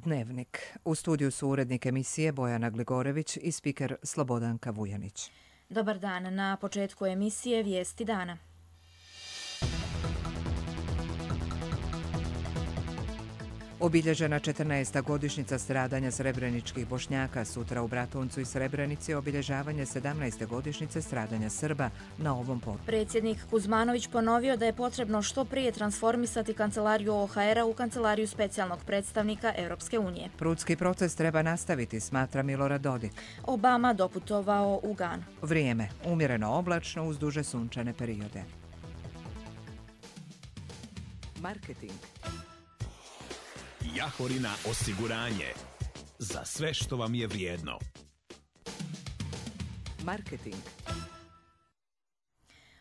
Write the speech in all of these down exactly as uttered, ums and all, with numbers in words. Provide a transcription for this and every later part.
Dnevnik. U studiju su urednik emisije Bojana Gligorević i spiker Slobodanka Vujanić. Dobar dan. Na početku emisije Vijesti dana. Obilježena četrnaesta godišnjica stradanja srebreničkih Bošnjaka, sutra u Bratuncu i Srebrenici obilježavanje sedamnaeste godišnjice stradanja Srba na ovom području. Predsjednik Kuzmanović ponovio da je potrebno što prije transformisati kancelariju O H R-a u kancelariju specijalnog predstavnika Europske unije. Prudski proces treba nastaviti, smatra Milorad Dodik. Obama doputovao u Ganu. Vrijeme. Umjereno oblačno uz duže sunčane periode. Marketing. Jahorina osiguranje. Za sve što vam je vrijedno. Marketing.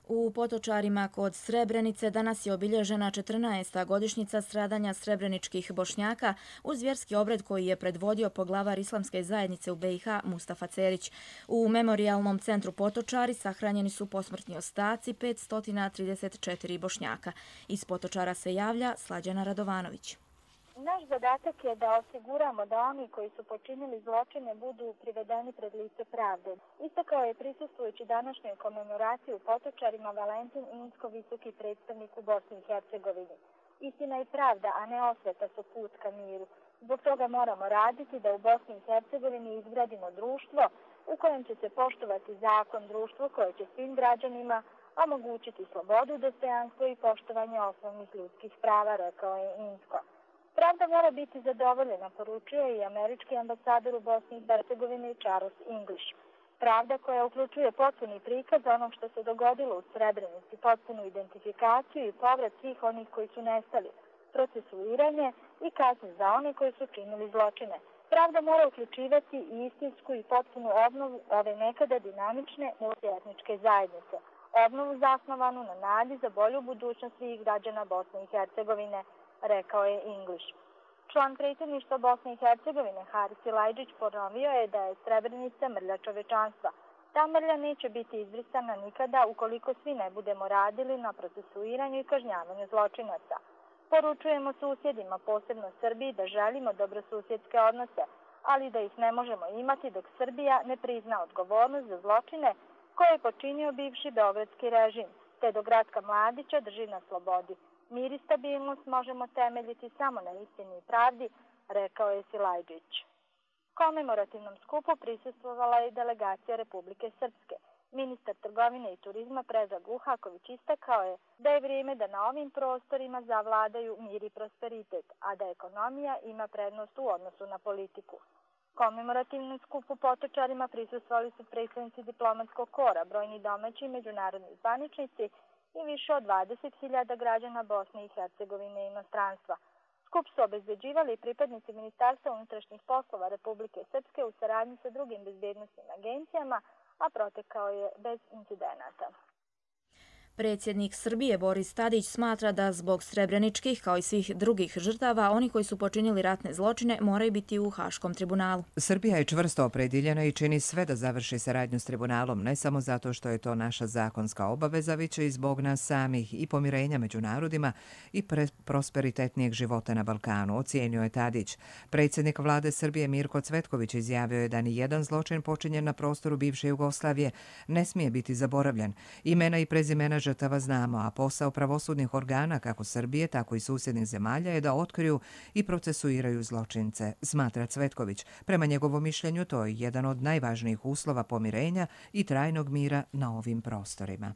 U Potočarima kod Srebrenice danas je obilježena četrnaesta godišnjica stradanja srebreničkih Bošnjaka uz vjerski obred koji je predvodio poglavar Islamske zajednice u B i H Mustafa Cerić. U memorijalnom centru Potočari sahranjeni su posmrtni ostaci petsto trideset četiri Bošnjaka. Iz Potočara se javlja Slađana Radovanović. Naš zadatak je da osiguramo da oni koji su počinili zločine budu privedeni pred lice pravde. Istakao je prisustvujući današnjoj komemoraciji u Potočarima Valentin Insko, visoki predstavnik u Bosni i Hercegovini. Istina i pravda, a ne osveta su put ka miru. Zbog toga moramo raditi da u Bosni i Hercegovini izgradimo društvo u kojem će se poštovati zakon, društvo koje će svim građanima omogućiti slobodu, dostojanstvo i poštovanje osnovnih ljudskih prava, rekao je Insko. Pravda mora biti zadovoljena, poručuje i američki ambasador u Bosni i Hercegovini Charles English. Pravda koja uključuje potpuni prikaz onog što se dogodilo u Srebrenici, potpunu identifikaciju i povrat svih onih koji su nestali, procesuiranje i kazne za one koji su činili zločine. Pravda mora uključivati i istinsku i potpunu obnovu ove nekada dinamične multietničke zajednice. Obnovu zasnovanu na nadi za bolju budućnost svih građana Bosne i Hercegovine, rekao je English. Član predsjedništva Bosne i Hercegovine Haris Silajdžić ponovio je da je Srebrenica mrlja čovečanstva. Ta mrlja neće biti izbrisana nikada ukoliko svi ne budemo radili na procesuiranju i kažnjavanju zločinaca. Poručujemo susjedima, posebno Srbiji, da želimo dobrosusjedske odnose, ali da ih ne možemo imati dok Srbija ne prizna odgovornost za zločine koje je počinio bivši beogradski režim, te dok Ratka Mladića drži na slobodi. Mir i stabilnost možemo temeljiti samo na istini i pravdi, rekao je Silajdžić. Komemorativnom skupu prisustvovala je i delegacija Republike Srpske. Ministar trgovine i turizma Predrag Uhaković istakao je da je vrijeme da na ovim prostorima zavladaju mir i prosperitet, a da ekonomija ima prednost u odnosu na politiku. Komemorativnom skupu Potočarima prisustvovali su predstavnici diplomatskog kora, brojni domaći i međunarodni zvaničnici i više od dvadeset hiljada građana Bosne i Hercegovine i inostranstva. Skup su obezbeđivali pripadnici Ministarstva unutrašnjih poslova Republike Srpske u saradnji sa drugim bezbjednosnim agencijama, a protekao je bez incidenata. Predsjednik Srbije Boris Tadić smatra da zbog srebreničkih, kao i svih drugih žrtava, oni koji su počinili ratne zločine moraju biti u Haškom tribunalu. Srbija je čvrsto opredjeljena i čini sve da završi saradnju s tribunalom, ne samo zato što je to naša zakonska obaveza, već i zbog nas samih i pomirenja među narodima i prosperitetnijeg života na Balkanu, ocijenio je Tadić. Predsjednik vlade Srbije Mirko Cvetković izjavio je da ni jedan zločin počinjen na prostoru bivše Jugoslavije ne smije biti zaboravljen. Imena i prezimena žrtava znamo, a posao pravosudnih organa kako Srbije, tako i susjednih zemalja je da otkriju i procesuiraju zločince, smatra Cvetković. Prema njegovom mišljenju to je jedan od najvažnijih uslova pomirenja i trajnog mira na ovim prostorima.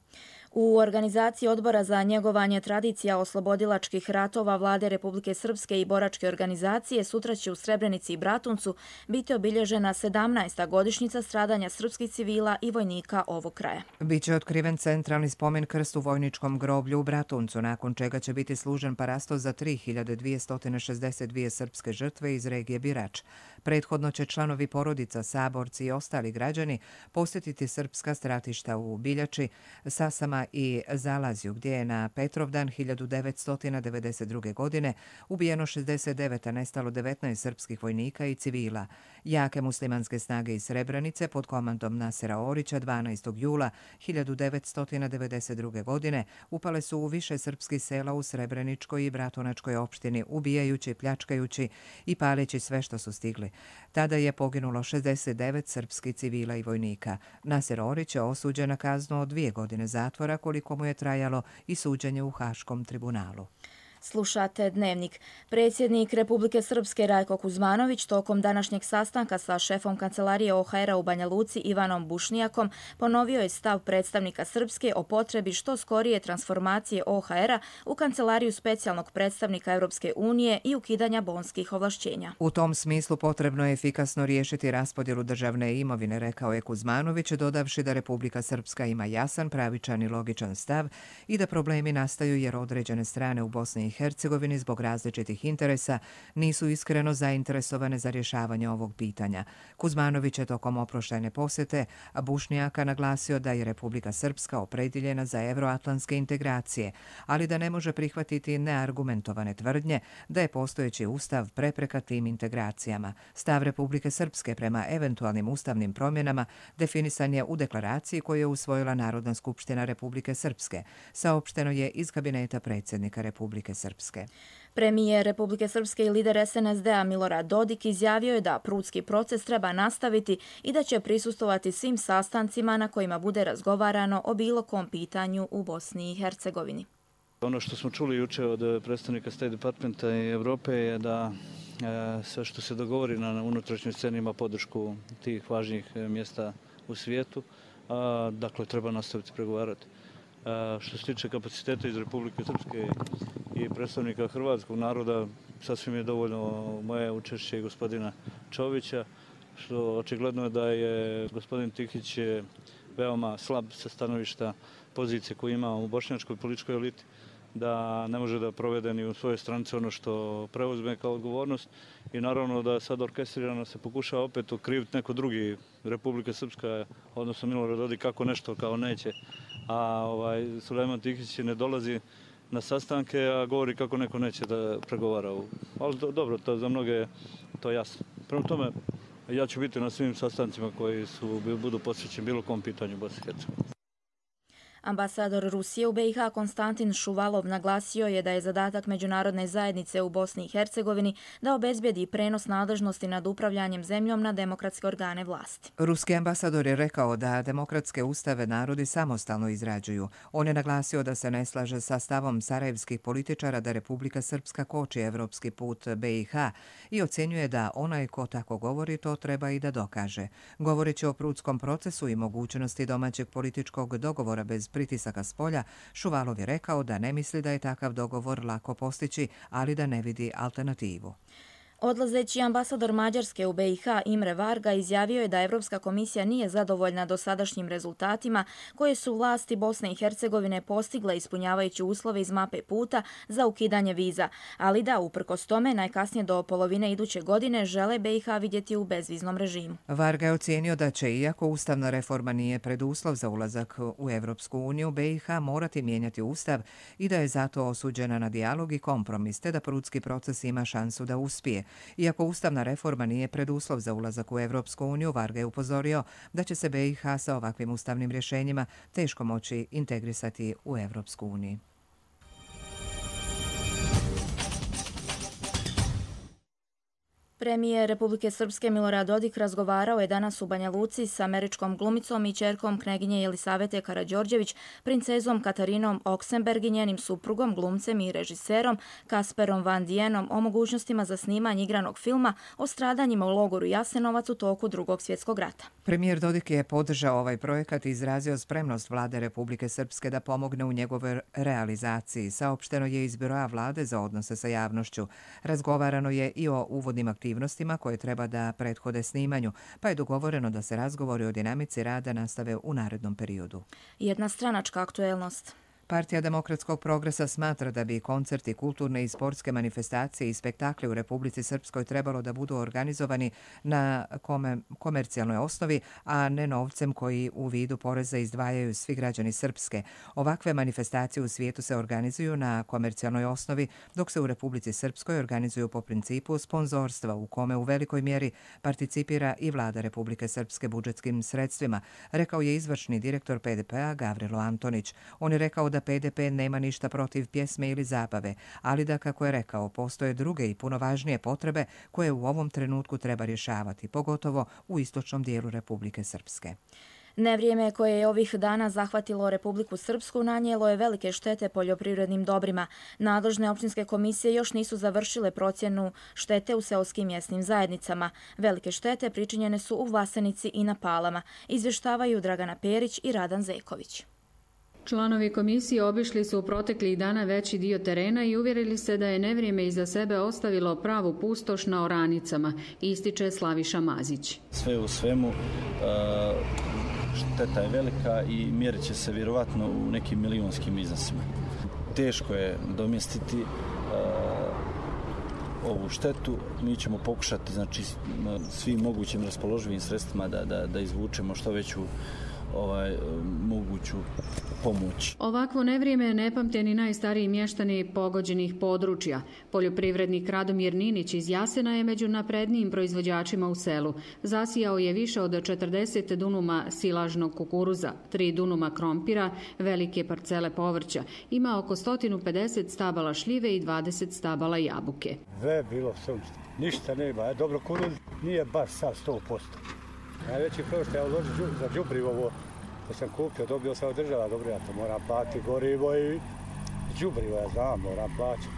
U organizaciji Odbora za njegovanje tradicija oslobodilačkih ratova Vlade Republike Srpske i boračke organizacije sutra će u Srebrenici i Bratuncu biti obilježena sedamnaesta godišnjica stradanja srpskih civila i vojnika ovog kraja. Biće otkriven centralni spomen krst u vojničkom groblju u Bratuncu, nakon čega će biti služen parasto za tri hiljade dvjesto šezdeset dvije srpske žrtve iz regije Birač. Prethodno će članovi porodica, saborci i ostali građani posjetiti srpska stratišta u Biljači, Sasama i Zalazju, gdje je na Petrovdan hiljadu devetsto devedeset druge. godine ubijeno šezdeset devet, a nestalo devetnaest srpskih vojnika i civila. Jake muslimanske snage iz Srebrenice pod komandom Nasera Orića dvanaestog jula hiljadu devetsto devedeset druge. godine upale su u više srpskih sela u Srebreničkoj i Bratunačkoj opštini, ubijajući, pljačkajući i paleći sve što su stigli. Tada je poginulo šezdeset devet srpskih civila i vojnika. Naser Orić je osuđen na kaznu od dvije godine zatvora, koliko mu je trajalo i suđenje u Haškom tribunalu. Slušate Dnevnik. Predsjednik Republike Srpske Rajko Kuzmanović tokom današnjeg sastanka sa šefom kancelarije O H R-a u Banja Luci Ivanom Bušnjakom ponovio je stav predstavnika Srpske o potrebi što skorije transformacije O H R-a u kancelariju specijalnog predstavnika Europske unije i ukidanja bonskih ovlašćenja. U tom smislu potrebno je efikasno riješiti raspodjelu državne imovine, rekao je Kuzmanović, dodavši da Republika Srpska ima jasan, pravičan i logičan stav i da problemi nastaju jer određene strane u Bosni i Hercegovini zbog različitih interesa nisu iskreno zainteresovane za rješavanje ovog pitanja. Kuzmanović je tokom oproštajne posjete Bušnjaka naglasio da je Republika Srpska opredjeljena za evroatlantske integracije, ali da ne može prihvatiti neargumentovane tvrdnje da je postojeći ustav prepreka tim integracijama. Stav Republike Srpske prema eventualnim ustavnim promjenama definisan je u deklaraciji koju je usvojila Narodna skupština Republike Srpske, saopšteno je iz kabineta predsjednika Republike Srpske. Premijer Republike Srpske i lider S N S D-a Milorad Dodik izjavio je da prudski proces treba nastaviti i da će prisustvovati svim sastancima na kojima bude razgovarano o bilo kom pitanju u Bosni i Hercegovini. Ono što smo čuli juče od predstavnika State Departmenta i Evrope je da e, sve što se dogovori na unutrašnjoj sceni ima podršku tih važnijih mjesta u svijetu. A, dakle, treba nastaviti pregovarati. A, što se tiče kapaciteta iz Republike Srpske i predstavnika hrvatskog naroda, sasvim je dovoljno moje učešće i gospodina Čovića, što očigledno je da je gospodin Tihić veoma slab sa stanovišta pozicije koju ima u bošnjačkoj političkoj eliti, da ne može da provede ni u svojoj stranci ono što preuzme kao odgovornost i naravno da sad orkestrirano se pokušava opet okriviti neko drugi, Republika Srpska, odnosno Milorad Dodik, kako nešto kao neće, a ovaj, Sulejman Tihić ne dolazi na sastanke, a govori kako neko neće da pregovara. Ali do, dobro, to za mnoge je to jasno. Prema tome, ja ću biti na svim sastancima koji su, budu posvećeni bilo kom pitanju Bosne i Hercegovine. Ambasador Rusije u B i H Konstantin Šuvalov naglasio je da je zadatak međunarodne zajednice u Bosni i Hercegovini da obezbijedi prenos nadležnosti nad upravljanjem zemljom na demokratske organe vlasti. Ruski ambasador je rekao da demokratske ustave narodi samostalno izrađuju. On je naglasio da se ne slaže sa stavom sarajevskih političara da Republika Srpska koči evropski put B i H i ocjenjuje da onaj ko tako govori to treba i da dokaže. Govoreći o prudskom procesu i mogućnosti domaćeg političkog dogovora bez pritisaka s polja, Šuvalov je rekao da ne misli da je takav dogovor lako postići, ali da ne vidi alternativu. Odlazeći ambasador Mađarske u B i H Imre Varga izjavio je da Evropska komisija nije zadovoljna dosadašnjim rezultatima koje su vlasti Bosne i Hercegovine postigle ispunjavajući uslove iz mape puta za ukidanje viza, ali da uprkos tome najkasnije do polovine iduće godine žele B i H vidjeti u bezviznom režimu. Varga je ocijenio da će, iako ustavna reforma nije preduslov za ulazak u Evropsku uniju, B i H morati mijenjati ustav i da je zato osuđena na dijalog i kompromis, te da prudski proces ima šansu da uspije. Iako ustavna reforma nije preduslov za ulazak u Evropsku uniju, Varga je upozorio da će se B i H sa ovakvim ustavnim rješenjima teško moći integrisati u Evropsku uniju. Premijer Republike Srpske Milorad Dodik razgovarao je danas u Banja Luci s američkom glumicom i ćerkom kneginje Jelisavete Karađorđević, princezom Katarinom Oksenberg i njenim suprugom, glumcem i režiserom Kasperom Van Dienom o mogućnostima za snimanje igranog filma o stradanjima u logoru Jasenovac u toku Drugog svjetskog rata. Premijer Dodik je podržao ovaj projekat i izrazio spremnost vlade Republike Srpske da pomogne u njegovoj realizaciji. Saopšteno je iz Biroa vlade za odnose sa javnošću. Razgovarano je i o uvodnim aktivnostima aktivnostima koje treba da prethode snimanju, pa je dogovoreno da se razgovori o dinamici rada nastave u narednom periodu. Jedna stranačka aktuelnost. Partija demokratskog progresa smatra da bi koncerti, kulturne i sportske manifestacije i spektakli u Republici Srpskoj trebalo da budu organizovani na kome, komercijalnoj osnovi, a ne novcem koji u vidu poreza izdvajaju svi građani Srpske. Ovakve manifestacije u svijetu se organizuju na komercijalnoj osnovi, dok se u Republici Srpskoj organizuju po principu sponzorstva u kome u velikoj mjeri participira i vlada Republike Srpske budžetskim sredstvima, rekao je izvršni direktor P D P-a Gavrilo Antonić. On je rekao da P D P nema ništa protiv pjesme ili zabave, ali da, kako je rekao, postoje druge i puno važnije potrebe koje u ovom trenutku treba rješavati, pogotovo u istočnom dijelu Republike Srpske. Nevrijeme koje je ovih dana zahvatilo Republiku Srpsku nanijelo je velike štete poljoprivrednim dobrima. Nadležne općinske komisije još nisu završile procjenu štete u seoskim mjesnim zajednicama. Velike štete pričinjene su u Vlasenici i na Palama, izvještavaju Dragana Perić i Radan Zeković. Članovi komisije obišli su u proteklih dana veći dio terena i uvjerili se da je nevrijeme iza sebe ostavilo pravu pustoš na oranicama, ističe Slaviša Mazić. Sve u svemu, šteta je velika i mjerit će se vjerovatno u nekim milionskim iznosima. Teško je domjestiti ovu štetu. Mi ćemo pokušati, znači, svim mogućim raspoloživim sredstvima da, da, da izvučemo što veću ovaj, moguću pomoć. Ovakvo nevrijeme ne pamte ni najstariji mještani pogođenih područja. Poljoprivrednik Radomir Ninić iz Jasena je među naprednijim proizvođačima u selu. Zasijao je više od četrdeset dunuma silažnog kukuruza, tri dunuma krompira, velike parcele povrća. Ima oko sto pedeset stabala šljive i dvadeset stabala jabuke. Sve bilo sunce. Ništa nema. Dobro, kuruz nije baš sad sto posto. Najveći prvo što ja uložio za đubrivo ovo, to sam kupio, dobio sam od država, dobro, ja to moram platiti gorivo i đubrivo, ja znam, moram plaćati.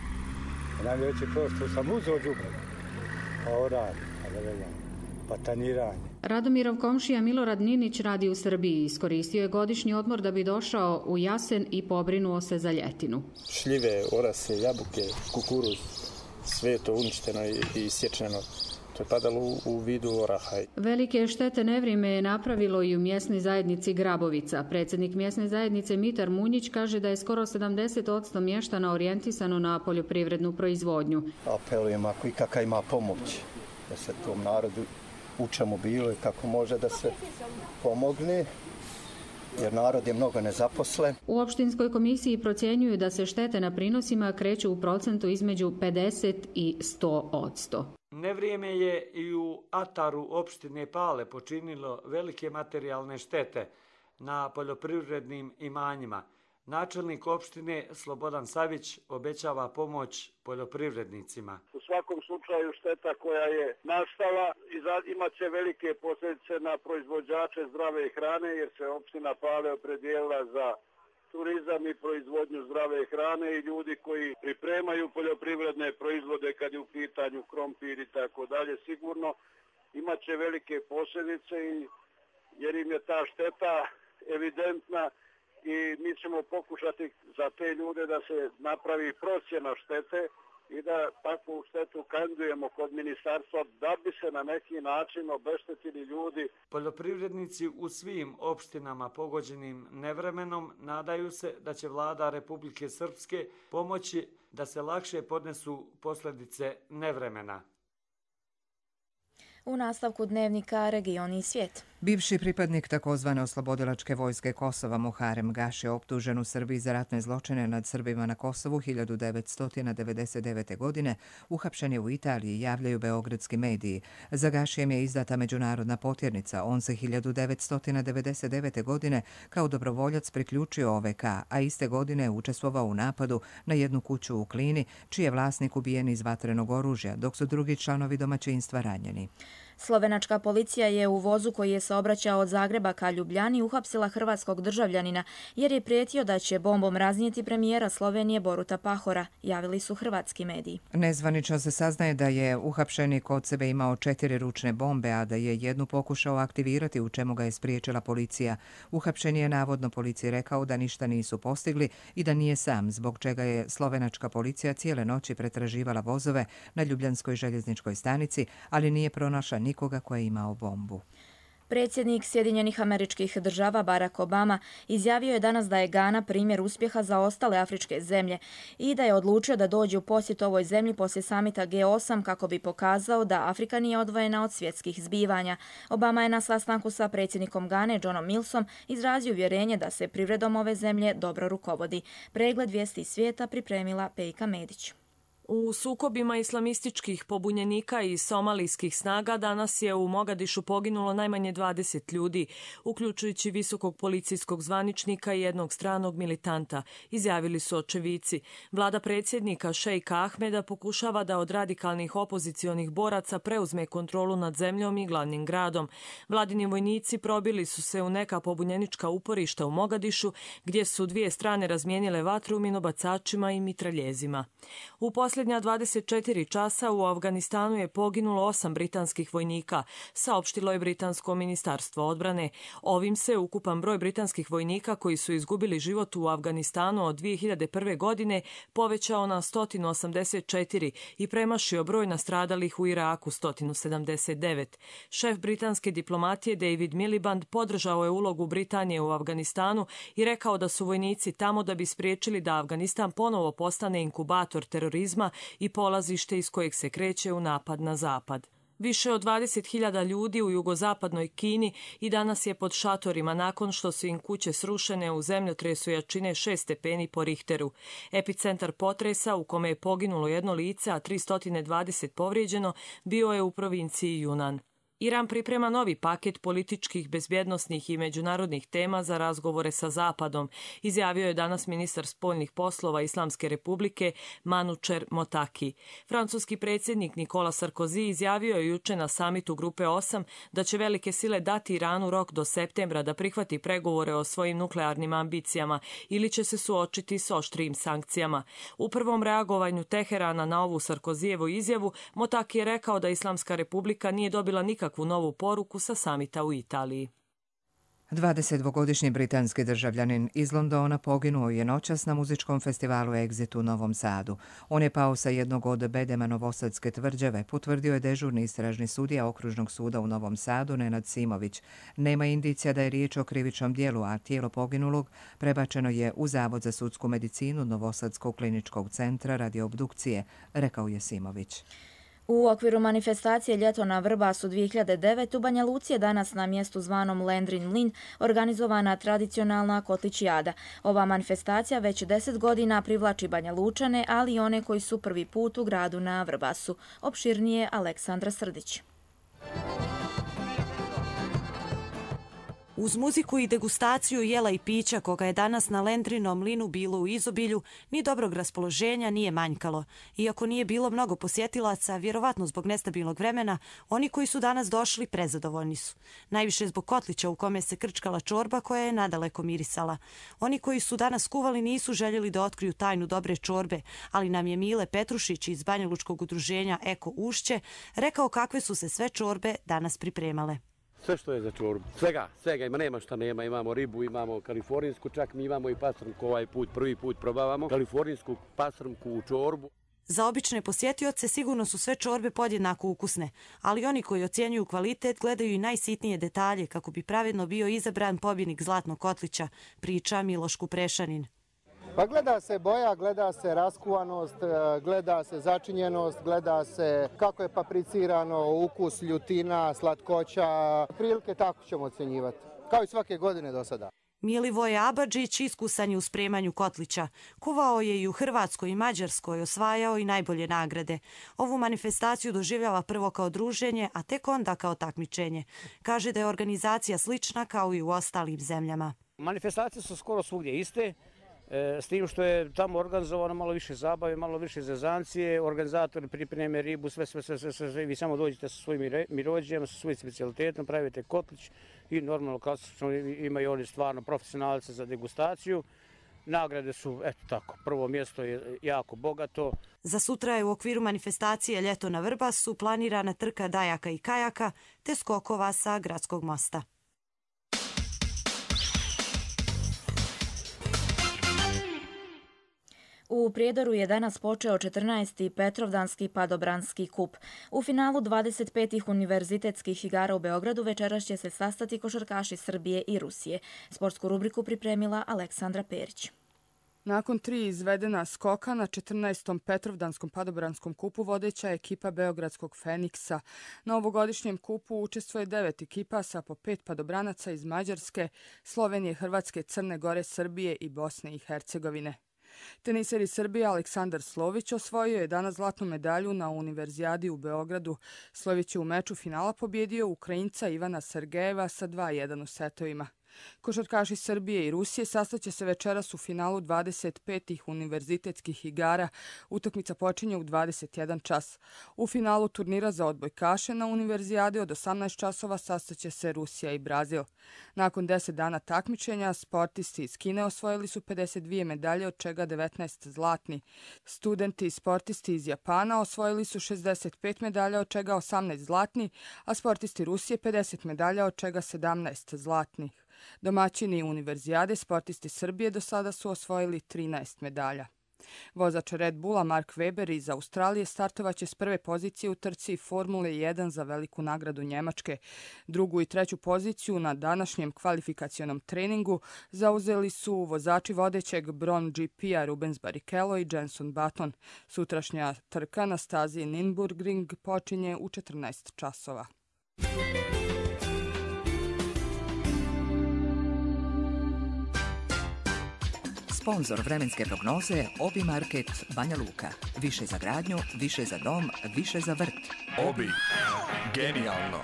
Najveći prvo što sam uzeo đubrivo, pa oranje, pa da veljam, pa tanjiranje. Radomirov komšija Milorad Ninić radi u Srbiji. Iskoristio je godišnji odmor da bi došao u Jasen i pobrinuo se za ljetinu. Šljive, orase, jabuke, kukuruz, sve je to uništeno i, i isječeno. To je padalo u, u vidu oraha. Velike štete nevrijeme je napravilo i u mjesnoj zajednici Grabovica. Predsjednik mjesne zajednice Mitar Munjić kaže da je skoro sedamdeset posto mještana orijentisano na poljoprivrednu proizvodnju. Apelujem ako i kakva ima pomoć da se tom narodu u čemu bilo i kako može da se pomogne, jer narod je mnogo nezaposlen. U opštinskoj komisiji procjenjuju da se štete na prinosima kreću u procentu između pedeset i sto posto. Nevrijeme je i u ataru opštine Pale počinilo velike materijalne štete na poljoprivrednim imanjima. Načelnik opštine Slobodan Savić obećava pomoć poljoprivrednicima. U svakom slučaju šteta koja je nastala imat će velike posljedice na proizvođače zdrave hrane, jer se opština Pale opredijelila za turizam i proizvodnju zdrave hrane i ljudi koji pripremaju poljoprivredne proizvode kad je u pitanju krompir i tako dalje, sigurno imat će velike posljedice jer im je ta šteta evidentna i mi ćemo pokušati za te ljude da se napravi procjena štete i da takvu štetu kandidujemo kod ministarstva da bi se na neki način obeštetili ljudi. Poljoprivrednici u svim opštinama pogođenim nevremenom nadaju se da će vlada Republike Srpske pomoći da se lakše podnesu posljedice nevremena. U nastavku dnevnika Regioni i svijet. Bivši pripadnik takozvane oslobodilačke vojske Kosova Muharem Gaši je optužen u Srbiji za ratne zločine nad Srbima na Kosovu hiljadu devetsto devedeset devete. godine. Uhapšen je u Italiji, javljaju beogradski mediji. Za Gašijem je izdata međunarodna potjernica. On se hiljadu devetsto devedeset devete. godine kao dobrovoljac priključio O V K, a iste godine je učestvovao u napadu na jednu kuću u Klini, čiji je vlasnik ubijen iz vatrenog oružja, dok su drugi članovi domaćinstva ranjeni. Slovenačka policija je u vozu koji je saobraćao od Zagreba ka Ljubljani uhapsila hrvatskog državljanina jer je prijetio da će bombom raznijeti premijera Slovenije Boruta Pahora, javili su hrvatski mediji. Nezvanično se saznaje da je uhapšeni kod sebe imao četiri ručne bombe, a da je jednu pokušao aktivirati, u čemu ga je spriječila policija. Uhapšen je navodno policiji rekao da ništa nisu postigli i da nije sam, zbog čega je slovenačka policija cijele noći pretraživala vozove na Ljubljanskoj željezničkoj stanici, ali nije pronašla nikoga ko je imao bombu. Predsjednik Sjedinjenih Američkih Država Barack Obama izjavio je danas da je Gana primjer uspjeha za ostale afričke zemlje i da je odlučio da dođe u posjet ovoj zemlji poslije samita G osam kako bi pokazao da Afrika nije odvojena od svjetskih zbivanja. Obama je na sastanku sa predsjednikom Gane Johnom Millsom izrazio uvjerenje da se privredom ove zemlje dobro rukovodi. Pregled vijesti svijeta pripremila Pejka Medić. U sukobima islamističkih pobunjenika i somalijskih snaga danas je u Mogadišu poginulo najmanje dvadeset ljudi, uključujući visokog policijskog zvaničnika i jednog stranog militanta, izjavili su očevici. Vlada predsjednika Šejka Ahmeda pokušava da od radikalnih opozicionih boraca preuzme kontrolu nad zemljom i glavnim gradom. Vladini vojnici probili su se u neka pobunjenička uporišta u Mogadišu, gdje su dvije strane razmijenile vatru minobacačima i mitraljezima. U posljednja dvadeset četiri časa u Afganistanu je poginulo osam britanskih vojnika, saopštilo je britansko ministarstvo odbrane. Ovim se ukupan broj britanskih vojnika koji su izgubili život u Afganistanu od dvije hiljade prve. godine povećao na sto osamdeset četiri i premašio broj nastradalih u Iraku sto sedamdeset devet. Šef britanske diplomatije David Miliband podržao je ulogu Britanije u Afganistanu i rekao da su vojnici tamo da bi spriječili da Afganistan ponovo postane inkubator terorizma i polazište iz kojeg se kreće u napad na zapad. Više od dvadeset hiljada ljudi u jugozapadnoj Kini i danas je pod šatorima nakon što su im kuće srušene u zemljotresu jačine šest stepeni po Richteru. Epicentar potresa u kome je poginulo jedno lice, a tristo dvadeset povrijeđeno, bio je u provinciji Yunnan. Iran priprema novi paket političkih, bezbjednosnih i međunarodnih tema za razgovore sa Zapadom, izjavio je danas ministar spoljnih poslova Islamske republike Manučer Motaki. Francuski predsjednik Nicolas Sarkozy izjavio je juče na samitu Grupe osam da će velike sile dati Iranu rok do septembra da prihvati pregovore o svojim nuklearnim ambicijama ili će se suočiti s oštrijim sankcijama. U prvom reagovanju Teherana na ovu Sarkozijevu izjavu, Motaki je rekao da Islamska republika nije dobila nikakvu novu poruku sa samita u Italiji. dvadesetdvogodišnji britanski državljanin iz Londona poginuo je noćas na muzičkom festivalu Exit u Novom Sadu. On je pao sa jednog od bedema novosadske tvrđave, potvrdio je dežurni istražni sudija Okružnog suda u Novom Sadu Nenad Simović. Nema indicija da je riječ o krivičnom djelu, a tijelo poginulog prebačeno je u Zavod za sudsku medicinu Novosadskog kliničkog centra radi obdukcije, rekao je Simović. U okviru manifestacije Ljeto na Vrbasu dvije hiljade devete u Banja Luci je danas na mjestu zvanom Lendrin Mlin organizovana tradicionalna kotličijada. Ova manifestacija već deset godina privlači Banja Lučane, ali i one koji su prvi put u gradu na Vrbasu. Opširnije Aleksandra Srdić. Uz muziku i degustaciju jela i pića koga je danas na Lendrinom mlinu bilo u izobilju, ni dobrog raspoloženja nije manjkalo. Iako nije bilo mnogo posjetilaca, vjerovatno zbog nestabilnog vremena, oni koji su danas došli prezadovoljni su. Najviše zbog kotlića u kome se krčkala čorba koja je nadaleko mirisala. Oni koji su danas kuvali nisu željeli da otkriju tajnu dobre čorbe, ali nam je Mile Petrušić iz Banjalučkog udruženja Eko Ušće rekao kakve su se sve čorbe danas pripremale. Sve što je za čorbu. Svega, svega ima, nema šta nema. Imamo ribu, imamo kalifornijsku, čak mi imamo i pastrnku ovaj put, prvi put probavamo. Kalifornijsku pastrnku u čorbu. Za obične posjetioce sigurno su sve čorbe podjednako ukusne, ali oni koji ocjenjuju kvalitet gledaju i najsitnije detalje kako bi pravedno bio izabran pobjednik Zlatnog kotlića, priča Miloš Kuprešanin. Pa gleda se boja, gleda se raskuvanost, gleda se začinjenost, gleda se kako je papricirano, ukus, ljutina, slatkoća. Prilike tako ćemo ocjenjivati, kao i svake godine do sada. Milivoje Abadžić iskusan je u spremanju kotlića. Kuvao je i u Hrvatskoj i Mađarskoj, osvajao i najbolje nagrade. Ovu manifestaciju doživljava prvo kao druženje, a tek onda kao takmičenje. Kaže da je organizacija slična kao i u ostalim zemljama. Manifestacije su skoro svugdje iste. S tim što je tamo organizovano malo više zabave, malo više zezancije, organizatori pripreme ribu, sve, sve, sve, sve, sve. Vi samo dođete sa svojim mirođijama, sa svojim specijalitetom, pravite kotlić i normalno klasično imaju oni stvarno profesionalce za degustaciju. Nagrade su, eto tako, prvo mjesto je jako bogato. Za sutra je u okviru manifestacije Ljeto na Vrbasu planirana trka dajaka i kajaka te skokova sa gradskog mosta. U Prijedoru je danas počeo četrnaesti Petrovdanski padobranski kup. U finalu dvadeset petih univerzitetskih igara u Beogradu večeras će se sastati košarkaši Srbije i Rusije. Sportsku rubriku pripremila Aleksandra Perić. Nakon tri izvedena skoka na četrnaestom Petrovdanskom padobranskom kupu vodeća ekipa Beogradskog Feniksa. Na ovogodišnjem kupu učestvuje devet ekipa sa po pet padobranaca iz Mađarske, Slovenije, Hrvatske, Crne Gore, Srbije i Bosne i Hercegovine. Teniser iz Srbije Aleksandar Slović osvojio je danas zlatnu medalju na Univerzijadi u Beogradu. Slović je u meču finala pobjedio Ukrajinca Ivana Sergejeva sa dva jedan u setovima. Košarkaši Srbije i Rusije sastaće se večeras u finalu dvadeset petih univerzitetskih igara. Utakmica počinje u dvadeset jedan čas. U finalu turnira za odbojkaše na Univerzijadi od osamnaest časova sastaće se Rusija i Brazil. Nakon deset dana takmičenja, sportisti iz Kine osvojili su pedeset dvije medalje, od čega devetnaest zlatni. Studenti i sportisti iz Japana osvojili su šezdeset pet medalja, od čega osamnaest zlatni, a sportisti Rusije pedeset medalja, od čega sedamnaest zlatnih. Domaćini Univerzijade, sportisti Srbije, do sada su osvojili trinaest medalja. Vozač Red Bulla Mark Webber iz Australije startovaće s prve pozicije u trci Formule jedan za veliku nagradu Njemačke. Drugu i treću poziciju na današnjem kvalifikacionom treningu zauzeli su vozači vodećeg Bron G P-a Rubens Barrichello i Jenson Button. Sutrašnja trka na stazi Nürburgring počinje u četrnaest časova. Sponzor vremenske prognoze Obi Market Banja Luka. Više za gradnju, više za dom, više za vrt. Obi. Genijalno.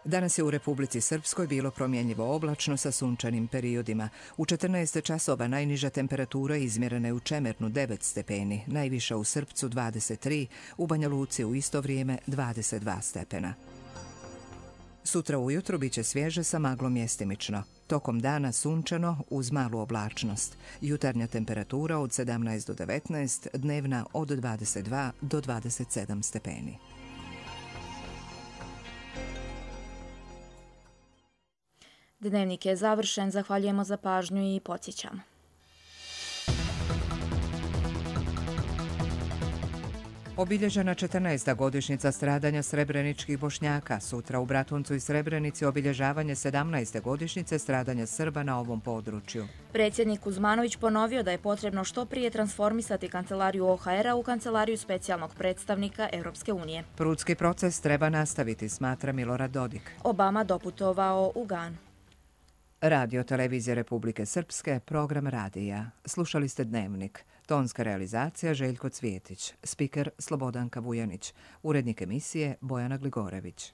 Danas je u Republici Srpskoj bilo promjenjivo oblačno sa sunčanim periodima. U četrnaest časova najniža temperatura izmjerena je u Čemernu devet stepeni, najviša u Srpcu dvadeset tri, u Banja Luci u isto vrijeme dvadeset dva stepena. Sutra ujutro bit će svježe sa maglom mjestimično. Tokom dana sunčano uz malu oblačnost. Jutarnja temperatura od sedamnaest do devetnaest, dnevna od dvadeset dva do dvadeset sedam stepeni. Dnevnik je završen, zahvaljujemo za pažnju i podsjećamo. Obilježena četrnaesta godišnjica stradanja srebreničkih Bošnjaka. Sutra u Bratuncu i Srebrenici obilježavanje sedamnaeste godišnjice stradanja Srba na ovom području. Predsjednik Kuzmanović ponovio da je potrebno što prije transformisati kancelariju O H R-a u kancelariju specijalnog predstavnika Europske unije. Prudski proces treba nastaviti, smatra Milorad Dodik. Obama doputovao u Ganu. Radio Televizije Republike Srpske, program radija. Slušali ste Dnevnik. Tonska realizacija Željko Cvijetić. Spiker Slobodanka Vujanić. Urednik emisije Bojana Gligorević.